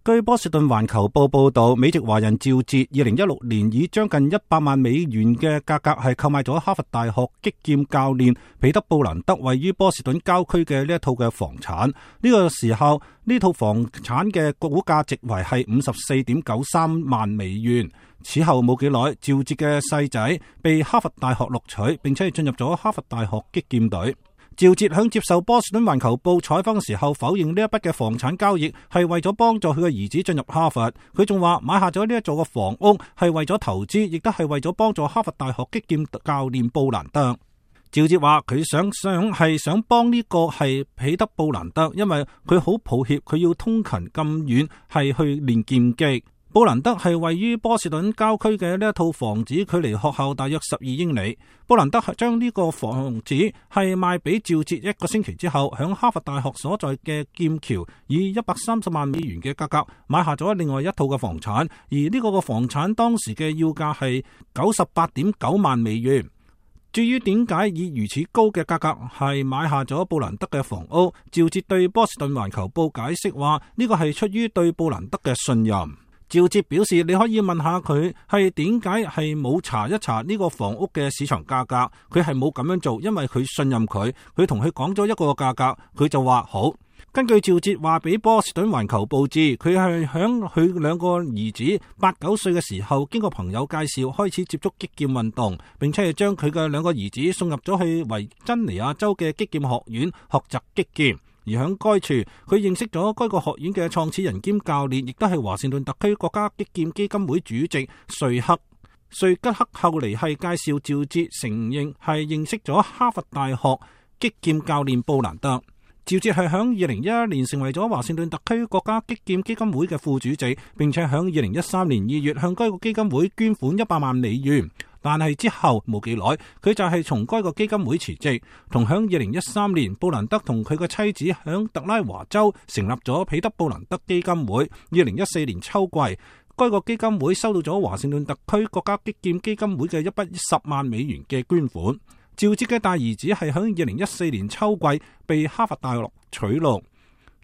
據波士頓環球報報道，美籍華人趙哲2016年以將近100萬美元嘅價格係購買咗哈佛大學擊劍教練彼得布蘭德位於波士頓郊區嘅呢一套嘅房產。呢個時候呢套房產嘅估價值為係54.93萬美元。此後冇幾耐，趙哲嘅細仔被哈佛大學錄取，並且係進入咗哈佛大學擊劍隊。趙哲響接受波士頓環球報採訪嘅時候，否認呢一筆嘅房產交易係為咗幫助佢嘅兒子進入哈佛。佢仲話買下咗呢一座嘅房屋係為咗投資，亦都係為咗幫助哈佛大學擊劍教練布蘭德。趙哲話佢想幫呢個係彼得布蘭德，因為佢好抱歉佢要通勤咁遠係去練劍擊。布蘭德係位於波士頓郊區嘅呢一套房子，距離學校大約12英里。布蘭德係將呢個房子係賣俾趙哲1個星期之後，響哈佛大學所在嘅劍橋以130萬美元嘅價格買下咗另外一套嘅房產，而呢個房產當時嘅要價係98.9萬美元。至於點解以如此高嘅價格係買下咗布蘭德嘅房屋，趙哲對波士頓環球報解釋話呢個係出於對布蘭德嘅信任。趙哲表示，你可以問下佢係點解係冇查一查呢個房屋嘅市場價格，佢係冇咁樣做，因為佢信任佢，佢同佢講咗一個價格，佢就話好。根據趙哲話俾波士頓環球報知，佢係響佢兩個兒子8、9歲嘅時候，經過朋友介紹開始接觸擊劍運動，並且係將佢嘅兩個兒子送入咗去維珍尼亞州嘅擊劍學院學習擊劍。而喺該處，佢認識咗該個學院嘅創始人兼教練，亦都係華盛頓特區國家擊劍基金會主席瑞吉克。後嚟係介紹趙哲承認係認識咗哈佛大學擊劍教練布蘭德。趙哲係喺2011年成為咗華盛頓特區國家擊劍基金會嘅副主席，並且喺2013年2月向該個基金會捐款100萬美元。但係之後冇幾耐，佢就係從該個基金會辭職。同響2013年，布蘭德同佢嘅妻子響特拉華州成立咗彼得布蘭德基金會。2014年秋季，該個基金會收到咗華盛頓特區國家擊劍基金會嘅一筆10萬美元嘅捐款。趙哲嘅大兒子係響2014年秋季被哈佛大學取錄。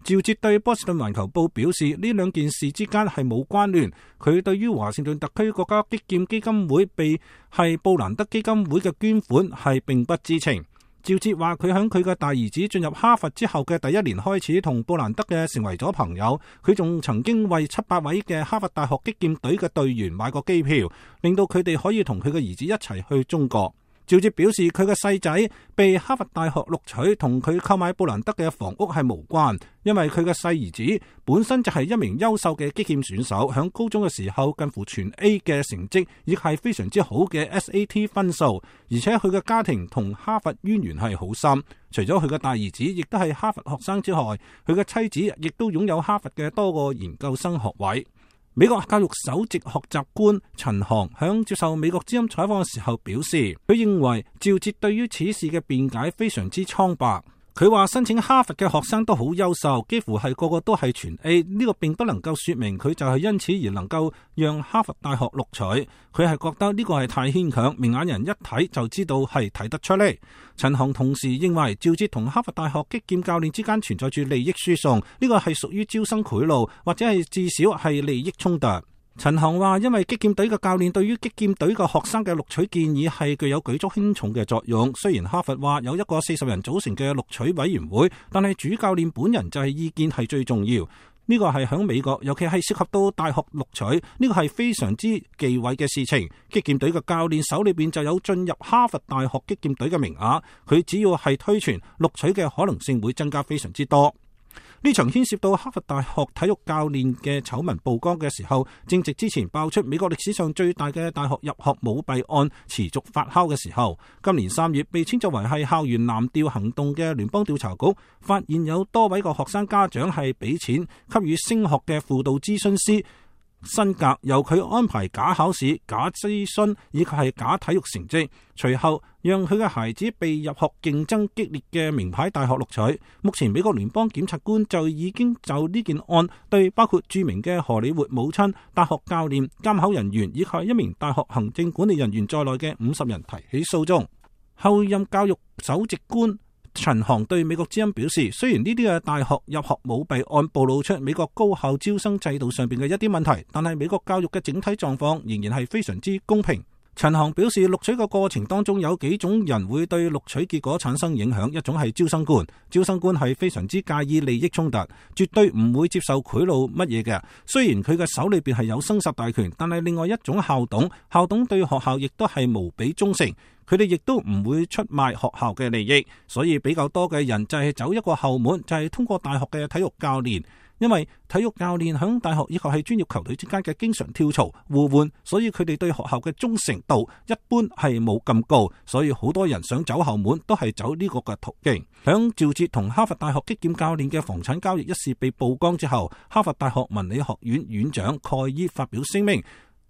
趙哲對波士頓環球報表示，呢兩件事之間係冇關聯。佢對於華盛頓特區國家擊劍基金會被係布蘭德基金會嘅捐款係並不知情。趙哲話佢響佢嘅大兒子進入哈佛之後嘅第1年開始同布蘭德嘅成為咗朋友。佢仲曾經為700位嘅哈佛大學擊劍隊嘅隊員買過機票，令到佢哋可以同佢嘅兒子一齊去中國。趙哲表示，佢嘅細仔被哈佛大學錄取同佢購買布蘭德嘅房屋係無關，因為佢嘅細兒子本身就係一名優秀嘅擊劍選手，響高中嘅時候近乎全 A 嘅成績，亦係非常之好嘅 SAT 分數，而且佢嘅家庭同哈佛淵源係好深。除咗佢嘅大兒子亦都係哈佛學生之外，佢嘅妻子亦都擁有哈佛嘅多個研究生學位。美國教育首席學習官陳航響接受美國之音採訪嘅時候表示，佢認為趙哲對於此事嘅辯解非常之蒼白。佢話申請哈佛嘅學生都好優秀，幾乎係個個都係全 A， 呢個並不能夠說明佢就係因此而能夠讓哈佛大學錄取。佢係覺得呢個係太牽強，明眼人一睇就知道係睇得出嚟。陳航同時認為趙哲同哈佛大學擊劍教練之間存在住利益輸送，呢個係屬於招生賄賂，或者係至少係利益衝突。陳航話，因為擊劍隊嘅教練對於擊劍隊嘅學生嘅錄取建議係具有舉足輕重嘅作用。雖然哈佛話有一個40人組成嘅錄取委員會，但係主教練本人就係意見係最重要。呢個係響美國，尤其係涉及到大學錄取，呢個係非常之忌諱嘅事情。擊劍隊嘅教練手裏邊就有進入哈佛大學擊劍隊嘅名額，佢只要係推傳，錄取嘅可能性會增加非常之多。呢場牽涉到哈佛大學體育教練嘅醜聞曝光嘅時候，正值之前爆出美國歷史上最大嘅大學入學舞弊案持續發酵嘅時候，今年3月被稱作為係校園藍調行動嘅聯邦調查局發現有多位個學生家長係俾錢給予升學嘅輔導諮詢師辛格，由佢安排假考試、假諮詢以及係假體育成績，隨後讓佢嘅孩子被入學競爭激烈嘅名牌大學錄取。目前美國聯邦檢察官就已經就呢件案對包括著名嘅荷里活母親、大學教練、監考人員以及一名大學行政管理人員在內嘅50人提起訴訟。後任教育首席官陳航對美國之音表示，雖然呢啲嘅大學入學舞弊案暴露出美國高校招生制度上邊嘅一啲問題，但係美國教育嘅整體狀況仍然係非常之公平。陳航表示，錄取嘅過程當中有幾種人會對錄取結果產生影響，一種係招生官，招生官係非常之介意利益衝突，絕對唔會接受賄賂乜嘢嘅。雖然佢嘅手裏邊係有生殺大權，但係另外一種校董，校董對學校亦都係無比忠誠，佢哋亦都唔會出賣學校嘅利益，所以比較多嘅人就係走一個後門，就係通過大學嘅體育教練。因為體育教練響大學以及係專業球隊之間嘅經常跳槽互換，所以佢哋對學校嘅忠誠度一般係冇咁高，所以好多人想走後門都係走呢個嘅途徑。響趙捷同哈佛大學擊劍教練嘅房產交易一事被曝光之後，哈佛大學文理學院院長蓋伊發表聲明，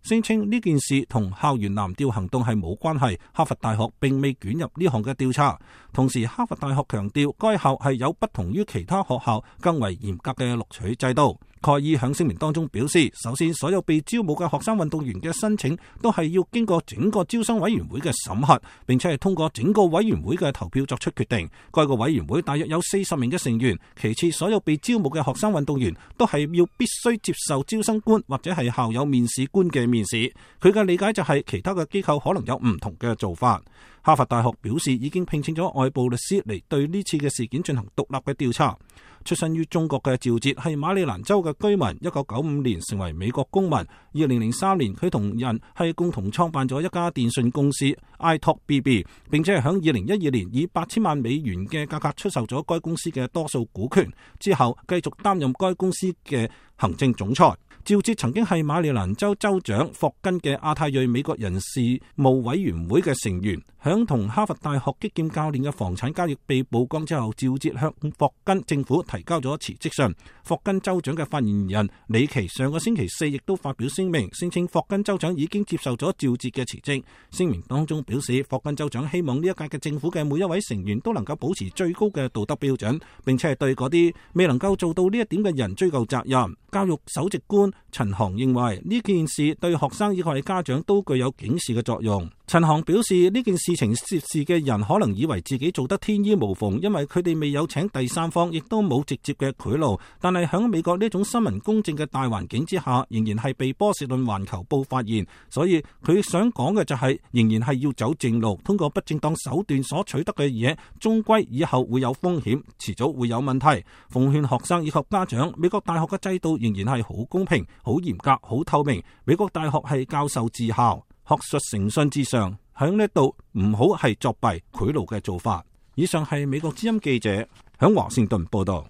聲稱呢件事同校園藍調行動係冇關係，哈佛大學並未捲入呢項嘅調查。同時，哈佛大學強調該校係有不同於其他學校更為嚴格嘅錄取制度。蓋伊響聲明當中表示，首先所有被招募嘅學生運動員嘅申請都係要經過整個招生委員會嘅審核，並且係通過整個委員會嘅投票作出決定。該個委員會大約有40名嘅成員。其次，所有被招募嘅學生運動員都係要必須接受招生官或者係校友面試官嘅面試。佢嘅理解就係其他嘅機構可能有唔同嘅做法。哈佛大學表示已經聘請咗外部律師嚟對呢次嘅事件進行獨立嘅調查。出身於中國嘅趙捷係馬里蘭州嘅居民，1995年成為美國公民。2003年佢同人係共同創辦咗一家電信公司 iTalkBB， 並且係響2012年以8000萬美元嘅價格出售咗該公司嘅多數股權，之後繼續擔任該公司嘅行政總裁。趙捷曾經係馬里蘭州州長霍根嘅亞太裔美國人事務委員會嘅成員。響同哈佛大學擊劍教練嘅房產交易被曝光之後，趙捷向霍根政府提交咗辭職信。霍根州長嘅發言人李奇上個星期4亦都發表聲明，聲稱霍根州長已經接受咗趙捷嘅辭職。聲明當中表示，霍根州長希望呢一屆嘅政府嘅每一位成員都能夠保持最高嘅道德標準，並且係對嗰啲未能夠做到呢一點嘅人追究責任。教育首席官陳航認為呢件事對學生以及家長都具有警示嘅作用。陳航表示，呢件事情涉事嘅人可能以為自己做得天衣無縫，因為佢哋未有請第三方，亦都冇直接嘅賄賂。但係喺美國呢種新聞公正嘅大環境之下，仍然係被波士頓環球報發現。所以佢想講嘅就係，仍然係要走正路，通過不正當手段所取得嘅嘢，終歸以後會有風險，遲早會有問題。奉勸學生以及家長，美國大學嘅制度仍然係好公平、好嚴格、好透明。美國大學係教授治校，學術誠信至上，喺呢度唔好係作弊賄賂嘅做法。以上係美國之音記者響華盛頓報道。